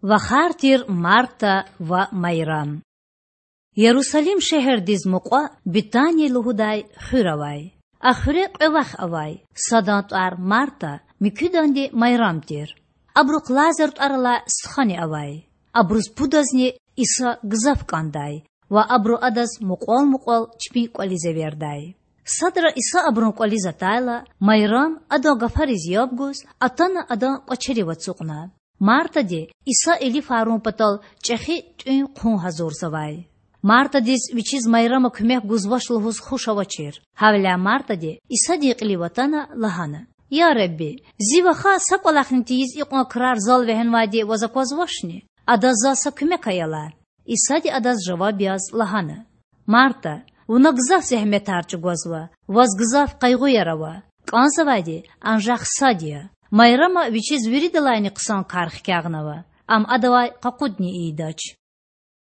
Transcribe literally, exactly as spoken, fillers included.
Вахар тир Марта ва Майрам. Ярусалим шегьердиз мукьва Бетания лугьудай хуьр авай. А хуьре кьве вах авай: садан тӀвар Марта, муькуьданди Майрам тир. Абурухъ Лазар тӀвар алай стхани авай. Абуруз пудазни Иса гзаф кӀандай ва абуру Адаз мукьвал-мукьвал чпин кӀвализ эвердай. Садра Иса абурун кӀвализ атайла, Майрам, Адан гафариз яб гуз, атана Адан кӀвачерив ацукьна. Мартади Иса илифарун патал чӀехи тӀуьн-хъун гьазурзавай. Мартадиз вичиз Майрама куьмек гузвач лугьуз хуш авачир. Гьавиляй Мартади, Исадин кьилив атана, лагьана: Я Худа, Зи ваха са кӀвалахни тийиз икьван крар зал вегьенвайди Ваз аквазвачни? Адаз Заз са куьмек ая лагь. Исади адаз жаваб яз лагьана: Марта, вуна гзаф зегьметар чӀугвазва, ваз гзаф къайгъуяр ава. КӀанзавайди анжах сад я. Майрама вичиз виридалайни хъсан кар хкягънава, ам адавай къакъудни ийидач.